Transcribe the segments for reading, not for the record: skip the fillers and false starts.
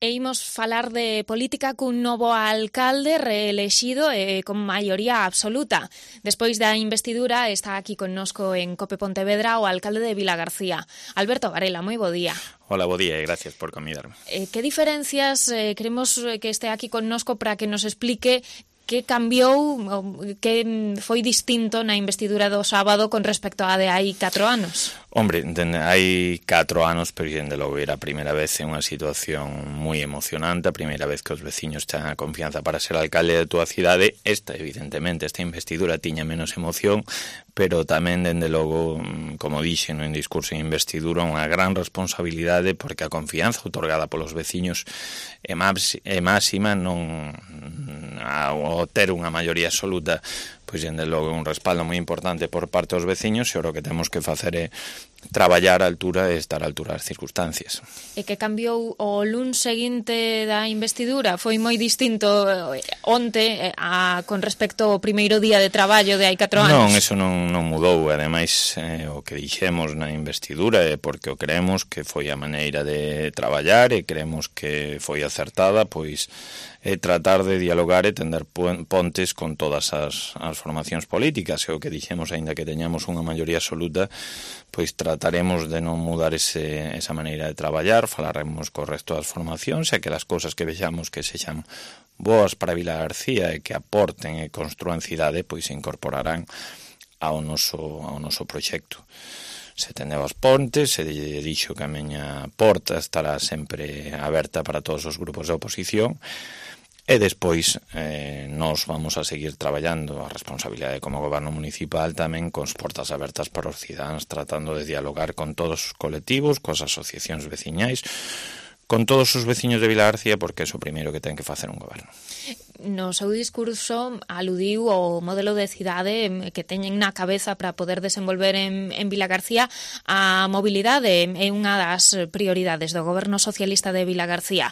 E imos falar de política cun novo alcalde reelexido con maioría absoluta. Despois da investidura está aquí connosco en Cope Pontevedra o alcalde de Vilagarcía. Alberto Varela, moi bo día. Hola, bo día e gracias por convidarme. Que diferencias queremos que este aquí connosco para que nos explique que cambiou, que foi distinto na investidura do sábado con respecto á de hai 4 anos? Hombre, hai 4 anos, pero dende logo era a primeira vez en unha situación moi emocionante, a primeira vez que os veciños ten a confianza para ser alcalde da túa cidade. Esta investidura tiña menos emoción, pero tamén, dende logo, como dixen en discurso de investidura, unha gran responsabilidade, porque a confianza outorgada polos veciños é máxima, non ao ter unha maioría absoluta, pois, dende logo, un respaldo moi importante por parte dos veciños, e o que temos que facer é traballar á altura e estar á altura das circunstancias. E que cambiou o luns seguinte da investidura? Foi moi distinto onte con respecto ao primeiro día de traballo de hai 4 anos? Non, eso non mudou. Ademais, o que dixemos na investidura é porque o creemos que foi a maneira de traballar e creemos que foi acertada, pois tratar de dialogar e tender pontes con todas as formacións políticas. E o que dixemos, aínda que teñamos unha maioría absoluta, pois trataremos de non mudar esa maneira de traballar, falaremos co resto das formacións e que as cousas que vexamos que sexan boas para Vilagarcía e que aporten e construan cidade, pois se incorporarán ao noso proxecto. Se tendeu as pontes, se dixo que a miña porta estará sempre aberta para todos os grupos de oposición. E despois nós vamos a seguir traballando a responsabilidade como goberno municipal tamén con as portas abertas para os cidadáns, tratando de dialogar con todos os colectivos, coas asociacións veciñais, con todos os veciños de Vilagarcía, porque é o primeiro que ten que facer un goberno. No seu discurso aludiu ao modelo de cidade que teñen na cabeza para poder desenvolver en Vilagarcía. A mobilidade é unha das prioridades do goberno socialista de Vilagarcía.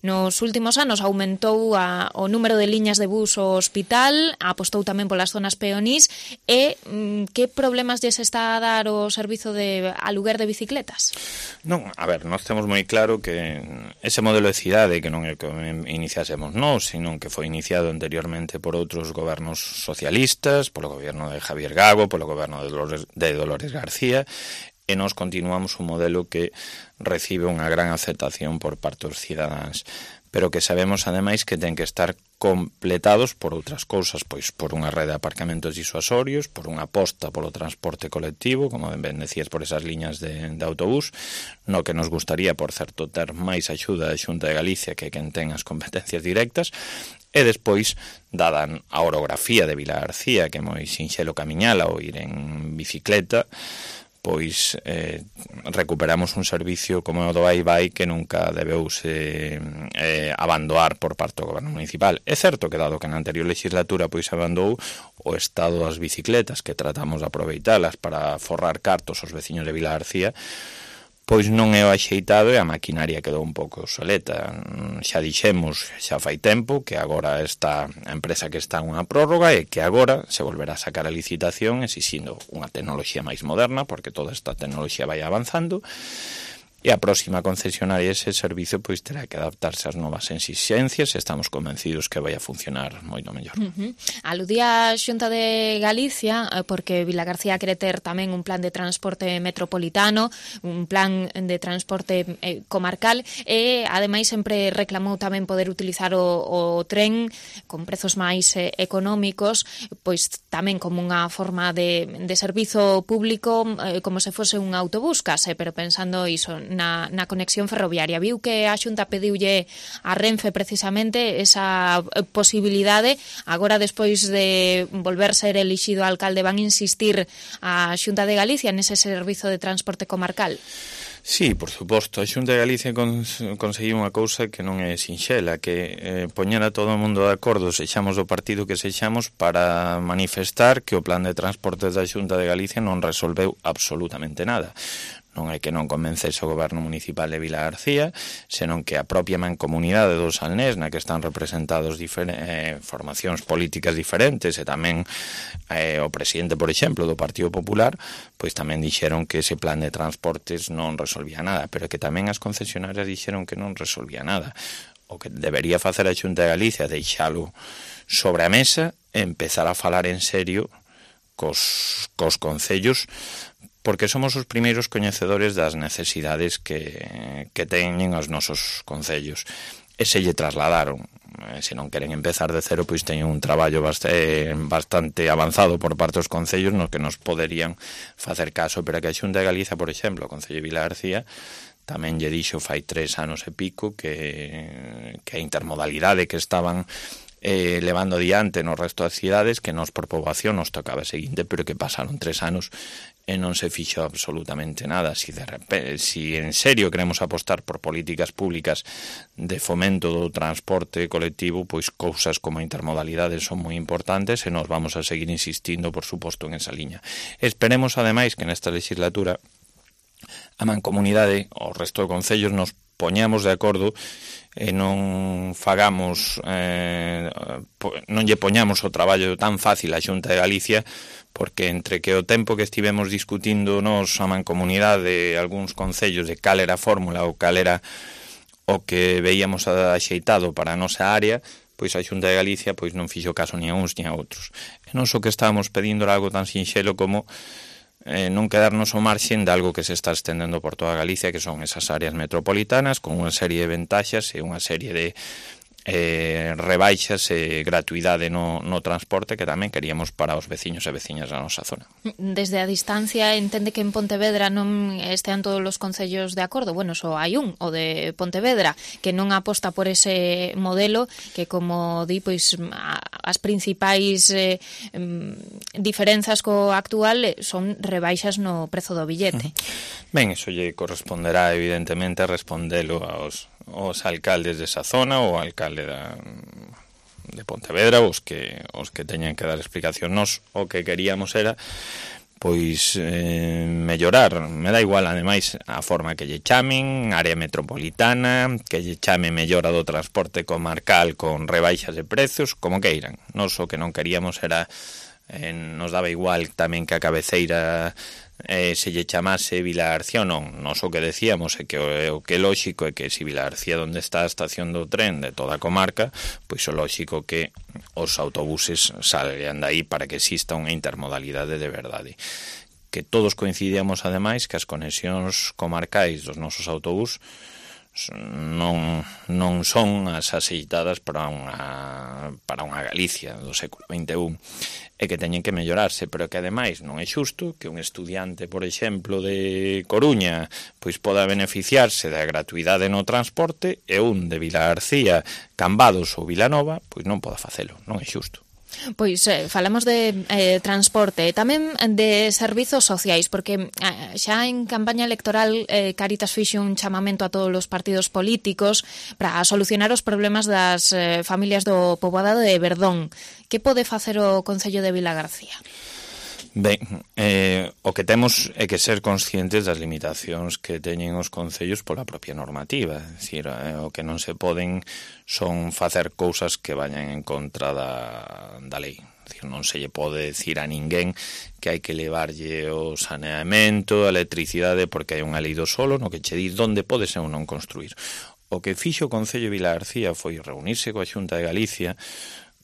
Nos últimos anos aumentou o número de liñas de bus ao hospital, apostou tamén polas zonas peonís. E que problemas lles está a dar o servizo de aluguer de bicicletas? Non, a ver, nós temos moi claro que ese modelo de cidade que non é que iniciásemos nós, sino que foi iniciado anteriormente por outros gobernos socialistas, polo goberno de Javier Gago, polo goberno de Dolores García, e nós continuamos un modelo que recibe unha gran aceptación por parte dos cidadáns, pero que sabemos, ademais, que ten que estar completados por outras cousas, pois por unha rede de aparcamentos disuasorios, por unha aposta polo transporte colectivo, como ben decías, por esas liñas de autobús, no que nos gustaría, por certo, ter máis axuda da Xunta de Galicia que quen ten as competencias directas. E despois, dada a orografía de Vilagarcía, que é moi sinxelo camiñala ou ir en bicicleta, pois recuperamos un servicio como o do Vai que nunca debeuse abandonar por parte do goberno municipal. É certo que, dado que na anterior legislatura pois abandonou o estado das bicicletas, que tratamos de aproveitalas para forrar cartos aos veciños de Vilagarcía, pois non é o axeitado e a maquinaria quedou un pouco obsoleta. Xa dixemos, xa fai tempo, que agora está a empresa que está unha prórroga e que agora se volverá a sacar a licitación exixindo unha tecnoloxía máis moderna, porque toda esta tecnoloxía vai avanzando, e a próxima concesionaria ese servicio pois terá que adaptarse ás novas exixencias e estamos convencidos que vai a funcionar moito mellor. Aludía a Xunta de Galicia porque Vilagarcía quere ter tamén un plan de transporte metropolitano, un plan de transporte comarcal e ademais sempre reclamou tamén poder utilizar o tren con prezos máis económicos, pois tamén como unha forma de servizo público, como se fose un autobús case, pero pensando iso na conexión ferroviaria. Viu que a Xunta pediulle a Renfe precisamente esa posibilidade. Agora, despois de volver ser elixido alcalde, van insistir a Xunta de Galicia nese servizo de transporte comarcal? Sí, por suposto. A Xunta de Galicia conseguiu unha cousa que non é sinxela, que poñer a todo o mundo de acordo, sexamos do partido que sexamos, para manifestar que o plan de transportes da Xunta de Galicia non resolveu absolutamente nada. non é que non convencese o goberno municipal de Vilagarcía, senón que a propia mancomunidade do Salnés, na que están representados formacións políticas diferentes, e tamén o presidente, por exemplo, do Partido Popular, pois tamén dixeron que ese plan de transportes non resolvía nada, pero que tamén as concesionarias dixeron que non resolvía nada. O que debería facer a Xunta de Galicia, deixalo sobre a mesa e empezar a falar en serio cos concellos, porque somos os primeiros coñecedores das necesidades que teñen os nosos concellos. E se lle trasladaron. Se non queren empezar de cero, pois teñen un traballo bastante avanzado por parte dos concellos nos que nos poderían facer caso, pero que a Xunta de Galicia, por exemplo, o Concello de Vilagarcía, tamén lle dixo fai 3 anos e pico que a intermodalidade que estaban levando adiante no resto das cidades, que nos por poboación nos tocaba seguinte, pero que pasaron 3 anos e non se fixo absolutamente nada. Si en serio queremos apostar por políticas públicas de fomento do transporte colectivo, pois cousas como a intermodalidade son moi importantes e nos vamos a seguir insistindo, por suposto, en esa liña. Esperemos, ademais, que nesta legislatura a mancomunidade, o resto de concellos, nos poñamos de acordo e non fagamos non lle poñamos o traballo tan fácil á Xunta de Galicia, porque entre que o tempo que estivemos discutindo nos a mancomunidade algúns concellos de cal era a fórmula ou cal era o que veíamos axeitado para a nosa área, pois a Xunta de Galicia pois non fixo caso ni a uns ni a outros. E non só que estábamos pedindo algo tan sinxelo como non quedarnos ao marxen de algo que se está estendendo por toda Galicia, que son esas áreas metropolitanas con unha serie de ventaxas e unha serie de rebaixas e gratuidade no transporte que tamén queríamos para os veciños e veciñas da nosa zona. Desde a distancia entende que en Pontevedra non estean todos os concellos de acordo. Bueno, só hai un, o de Pontevedra, que non aposta por ese modelo que, como di, pois as principais diferenzas co actual son rebaixas no prezo do billete. Ben, iso lle corresponderá evidentemente a respondelo aos alcaldes desa zona ou alcalde de Pontevedra, os que teñan que dar explicación. Nos o que queríamos era pois mellorar, me dá igual ademais a forma que lle chamen, área metropolitana, que lle chame mellora do transporte comarcal con rebaixas de prezos, como queiran. Nos o que non queríamos era nos daba igual tamén que a cabeceira se lle chamase Vilagarcía ou non. Nos o que decíamos é que o que é lóxico é que se Vilagarcía onde está a estación do tren de toda a comarca, pois o lóxico que os autobuses salgan daí para que exista unha intermodalidade de verdade. Que todos coincidíamos ademais que as conexións comarcais dos nosos autobús non son as axeitadas para unha Galicia do século XXI, e que teñen que mellorarse, pero que ademais non é xusto que un estudiante, por exemplo, de Coruña pois poda beneficiarse da gratuidade no transporte e un de Vilagarcía, Cambados ou Vilanova pois non poda facelo, non é xusto. Pois falamos de transporte e tamén de servizos sociais, porque xa en campaña electoral Cáritas fixo un chamamento a todos os partidos políticos para solucionar os problemas das familias do poboado de Verdón. Que pode facer o Concello de Vilagarcía? Ben, o que temos é que ser conscientes das limitacións que teñen os concellos pola propia normativa. É dicir, o que non se poden son facer cousas que vayan en contra da lei. É dicir, non se lle pode decir a ninguén que hai que levarlle o saneamento, a electricidade, porque hai unha lei do solo no que che di onde podes ou non construir. O que fixo o Concello de Vilagarcía foi reunirse coa Xunta de Galicia,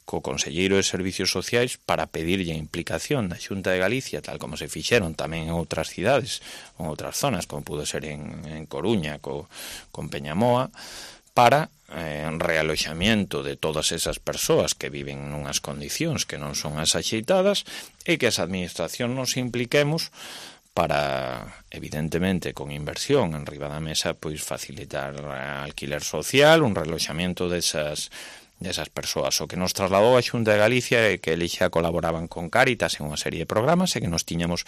co Conselleiro de Servicios Sociais, para pedirlle a implicación da Xunta de Galicia, tal como se fixeron tamén en outras cidades, en outras zonas, como pudo ser en Coruña, con Peñamoa, para realoxamiento de todas esas persoas que viven nunhas condicións que non son as axeitadas, e que as administracións nos impliquemos para, evidentemente, con inversión en riba da mesa, pois facilitar alquiler social, un realoxamiento desas persoas. O que nos trasladou a Xunta de Galicia é que eles xa colaboraban con Cáritas en unha serie de programas e que nos tiñamos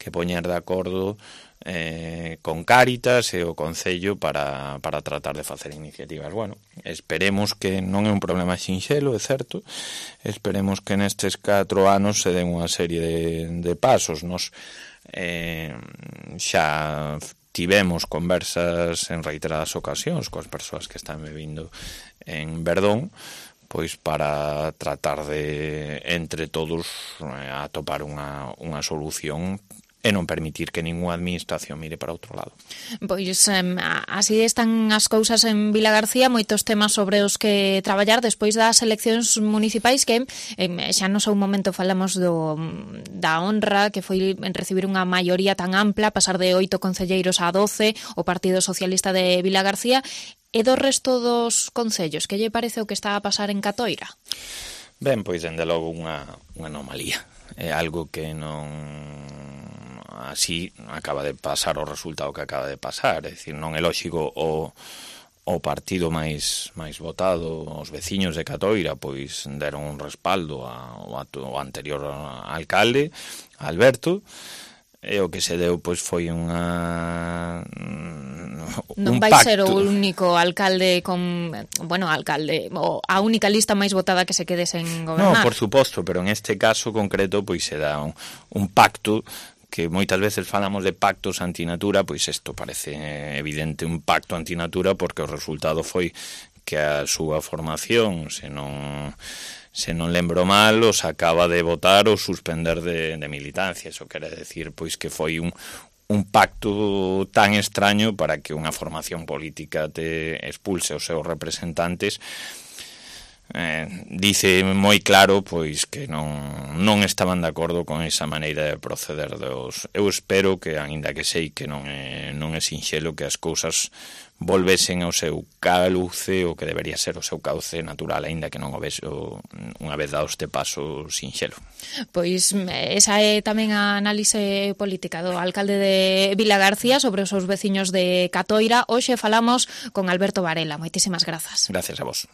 que poñer de acordo con Cáritas e o Concello para tratar de facer iniciativas. Bueno, esperemos que non é un problema sinxelo, é certo, esperemos que nestes 4 anos se den unha serie de pasos. Nos xa tivemos conversas en reiteradas ocasións coas persoas que están vivindo en Verdón, pois para tratar de, entre todos, atopar unha solución e non permitir que ningunha administración mire para outro lado. Pois así están as cousas en Vilagarcía, moitos temas sobre os que traballar despois das eleccións municipais que xa no seu momento falamos da honra que foi recibir unha maioría tan ampla, pasar de 8 concelleiros a 12, o Partido Socialista de Vilagarcía. E do resto dos concellos, que lle parece o que está a pasar en Catoira? Ben, pois, dende logo unha anomalía. É algo que non así acaba de pasar o resultado que acaba de pasar. É dicir, non é lóxico o partido máis votado, os veciños de Catoira, pois deron un respaldo ao anterior alcalde, Alberto, e o que se deu pois foi non vai pacto. Ser o único alcalde a única lista máis votada que se quede sen gobernar. No, por suposto, pero en este caso concreto pois se dá un pacto que moitas veces falamos de pactos antinatura, pois isto parece evidente un pacto antinatura porque o resultado foi que a súa formación, se non lembro mal, os acaba de votar ou suspender de militancia. Eso quere decir pois que foi un pacto tan extraño para que unha formación política te expulse os seus representantes. Dice moi claro pois que non estaban de acordo con esa maneira de proceder dos. Eu espero que, aínda que sei que non é sinxelo, que as cousas volvesen ao seu cauce, o que debería ser o seu cauce natural, aínda que non o vexo unha vez dado este paso sinxelo. Pois esa é tamén a análise política do alcalde de Vilagarcía sobre os seus veciños de Catoira. Hoxe falamos con Alberto Varela. Moitísimas grazas. Gracias a vos.